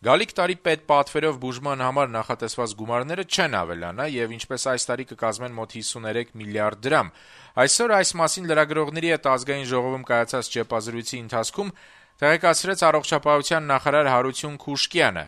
Գալիք տարի պետպատվերով բուժման համար նախատեսված գումարները չեն ավելանա եւ ինչպես այս տարի կկազմեն մոտ 53 միլիարդ դրամ։ Այսօր այս մասին լրագրողների հետ Ազգային ժողովում կայացած ճեպազրույցի ընթացքում տեղեկացրեց առողջապահության նախարար Հարություն Քուշկյանը։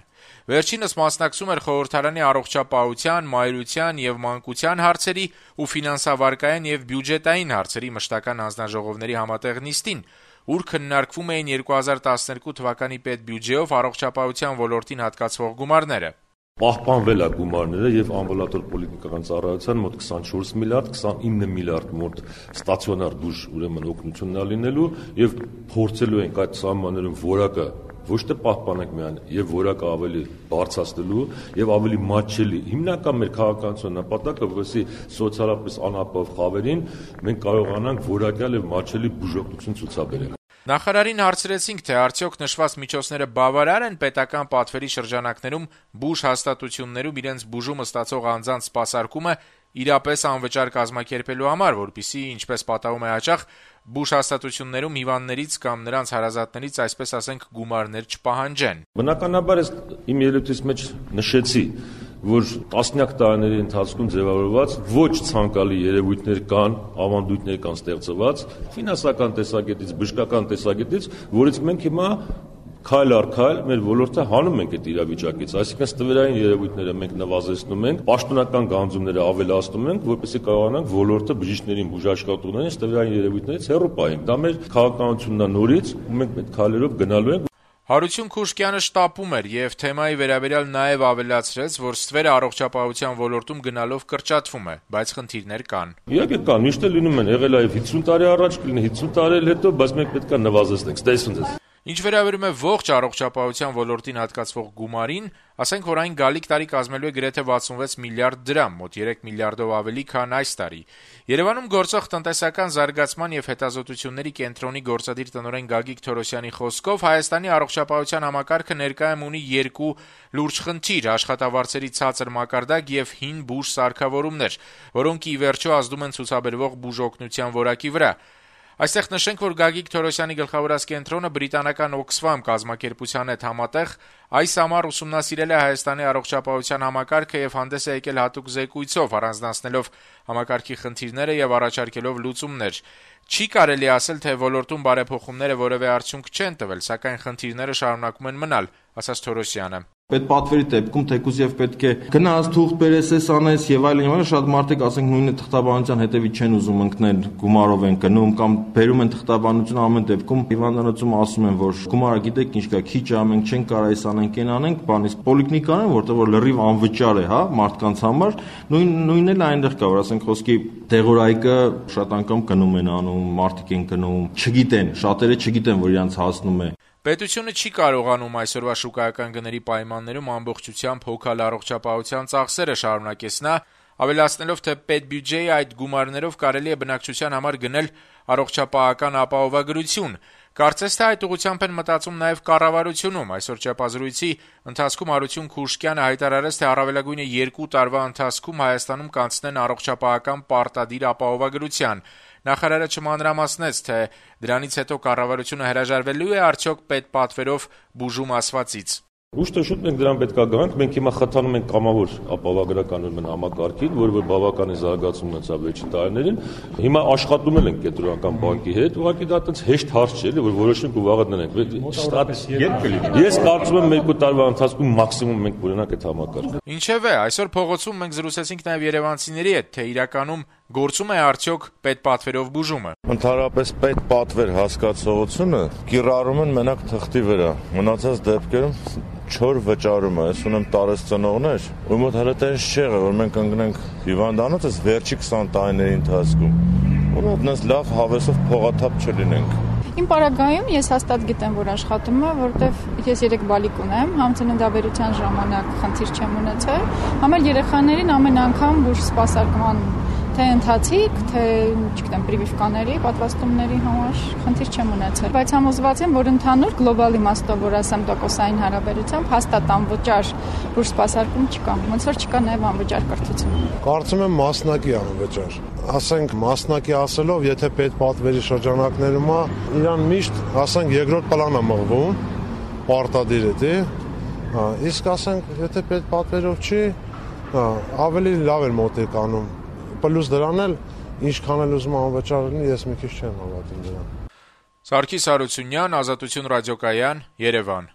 Վերջինս մասնակցում էր խորհրդարանի առողջապահության, մայրության եւ մանկության հարցերի ու ֆինանսավարկային եւ բյուջետային հարցերի մշտական հանձնաժողովների համատեղ նիստին, ուր քննարկվում էին 2012 թվականի պետբյուջեով առողջապահության ոլորտին հատկացվող գումարները։ Պահպանվել է գումարները եւ ամբուլատոր պոլիկլինիկական ծառայության մոտ 24 միլիարդ, 29 միլիարդ մոտ ստացիոնար բուժ ուրեմն օգնությունն է լինելու եւ փորձելու ենք այդ սահմաններում որակը ոչ թե պահպանենք միայն եւ որակը ավելի բարձրացնելու եւ ավելի մատչելի։ Հիմնական մեր քաղաքականության նպատակը, որովհետեւ սոցիալապես անապահով խավերին մենք կարողանանք որակյալ եւ մատչելի բուժօգնություն ցուցաբերել։ Նախարարին հարցրեցինք, թե արդյոք նշված միջոցները բավարար են պետական պատվերի շրջանակներում բուժ հաստատություններում իրենց բուժումը ստացող անձանց սպասարկումը իրապես անվճար կազմակերպելու համար, որպեսզի, ինչպես պատահում է հաճախ, բուժ հաստատություններում հիվանդներից կամ նրանց հարազատներից, այսպես ասենք, գումարներ չպահանջեն։ Բնականաբար ես իմ ելույթից մեջ նշեցի, որ տասնյակ տարիների ընթացքում ձևավորված ոչ ցանկալի երևույթներ կան, ավանդույթներ կան ստեղծված ֆինանսական տեսակետից, բժշկական տեսակետից, որից մենք հիմա քայլ առ քայլ մեր ոլորտը հանում ենք այդ իրավիճակից, այսինքն ստվերային երևույթները մենք նվազեցնում ենք, պաշտոնական գանձումները ավելացնում ենք, որպեսզի կարողանանք ոլորտը բժիշկներին, բուժաշխատողներին ստվերային երևույթներից հեռու պահենք։ Դա մեր քաղաքականությունն է նորից, ու մենք այդ քայլերով գնալու ենք։ Հարություն Քուշկյանը շտապում էր եւ թեմայի վերաբերյալ նաեւ ավելացրեց, որ ստվերը առողջապահության ոլորտում գնալով կրճատվում է, բայց խնդիրներ կան։ Իհարկե կան, միշտ է լինում են, եղել է 50 տարի առաջ, կլինի 50 տարի հետո, բայց մենք պետք է նվազեցնենք, ստեսուն դες։ Ինչ վերաբերում է ողջ առողջապահության ոլորտին հատկացվող գումարին, ասենք, որ այն գալիք տարի կազմելու է գրեթե 66 միլիարդ դրամ, մոտ 3 միլիարդով ավելի, քան այս տարի։ Երևանում գործող տնտեսական զարգացման եւ հետազոտությունների կենտրոնի գործադիր տնօրեն Գագիկ Թորոսյանի խոսքով Հայաստանի առողջապահության համակարգը ներկայում ունի երկու լուրջ խնդիր՝ աշխատավարձերի ցածր մակարդակ եւ հին բուժ սարքավորումներ, որոնք ի վերջո ազդում են ցուցաբերվող բուժօգնության որակի վրա։ Այստեղ նշենք, որ Գագիկ Թորոսյանի գլխավորած կենտրոնը բրիտանական Oxfam կազմակերպության հետ համատեղ այս ամառ ուսումնասիրել է Հայաստանի առողջապահության համակարգը եւ հանդես է եկել հատուկ զեկույցով, առանձնացնելով համակարգի խնդիրները եւ առաջարկելով լուծումներ։ Չի կարելի ասել, թե ոլորտում բարեփոխումները որևէ արդյունք չեն տվել, սակայն խնդիրները շարունակում են մնալ, ասաց Թորոսյանը։ Պետպատվերի դեպքում թեկուզ եւ պետք է գնաս թուղթ բերես, անես եւ այլն, շատ մարդիկ ասենք նույնը թղթաբանության հետևից չեն ուզում ընկնել, գումարով են գնում կամ բերում են թղթաբանություն, ամեն դեպքում հիվանդանոցում ասում են, որ գումարը գիտեք ինչ կա, քիչ է, մենք չենք կարող այս անենք, այն անենք, բան, իսկ պոլիկլինիկան, որտեղ որ լրիվ անվճար է, հա, մարդկանց համար, նույնն էլ այնտեղ կա, որ ասենք խոսքի դեղորայքը շատ անգամ գնում են անում, մարդիկ են գնում, չգիտեն, շատերը չգիտեն, որ իրանց հասնում է։ Պետությունը չի կարողանում այսօրվա շուկայական գների պայմաններում ամբողջությամբ հոգալ առողջապահության ծախսերը, շարունակեց նա, ավելացնելով, թե պետբյուջեի այդ գումարներով կարելի է բնակչության համար գնել առողջապահական ապահովագրություն։ Կարծես թե այդ ուղղությամբ են մտածում նաև կառավարությունում։ Այսօր ճեպազրույցի ընթացքում Հարություն Քուշկյանը հայտարարեց, թե առավելագույնը 2 տարվա ընթացքում Հայաստանում կանցնեն առողջապահական պարտադիր ապահովագրության։ Նախարարը չմանրամասնեց, թե դրանից հետո կառավարությունը հրաժարվելու է արդյոք պետպատվերով բուժում ասվածից։ Ուշ թե շուտ մենք դրան պետք է գանք, մենք հիմա խթանում ենք կամավոր ապահովագրական համակարգին, որը բավականին զարգացում ունեցավ վերջին տարիներին։ Հիմա աշխատում ենք կենտրոնական բանկի հետ, ուղղակի դա այդպես հեշտ հարց չէ, որ որոշենք ու վաղը դնենք։ Ես կարծում եմ 2 տարվա ընթացքում մաքսիմում մենք կունենանք այդ համակարգը։ Ինչևէ, այսօր փողոցում մենք զրուցեցինք նաև երևանցիների հետ, թե իրականում գործում է արդյոք պետպատվերով բուժումը։ Ընդհանրապես պետպատվեր հասկացողությունը կիրառում են մենակ թղթի վրա։ Մնացած դեպքերում չոր վճարում է, ես ունեմ տարեց ծնողներ, ու մոտ հələ տես չի եղել, որ մենք ընկնենք հիվանդանոց այս վերջի 20 տարիների ընթացքում, որ այդպես լավ հավեսով փողաթափ չլինենք։ Իմ պարագայում ես հաստատ գիտեմ, որ աշխատում է, որովհետև ես 3 բալիկ ունեմ, համծննդաբերության ժամանակ խնդիր չեմ ունեցել, համել երեխաներին ամեն անգամ բուժ սպասարկման թե ընթացիկ, թե, չգիտեմ, պրիվիվկաների, պատվաստումների համար խնդիր չեմ ունեցել, բայց համոզված եմ, որ ընդհանուր գլոբալ իմաստով, որ ասեմ տոկոսային հարաբերությամբ, հաստատ անվճար բուժ սպասարկում չկա, ոնց որ չկա նաև անվճար կրթություն։ Կարծում եմ մասնակի անվճար։ Ասենք մասնակի ասելով, եթե պետպատվերի շրջանակներում է, իրան միշտ, ասենք, երկրորդ պլան է մղվում, պարտադիր է, Իսկ ասենք, եթե պետպատվերով չի, ավելի լավ էր մոտիկ անում։ Պլյուս դրան էլ ինչքան էլ ուզում անվճար լինի, ես մի քիչ չեմ հավատում դրան։ Սարգիս Հարությունյան, Ազատություն ռադիոկայան, Երևան։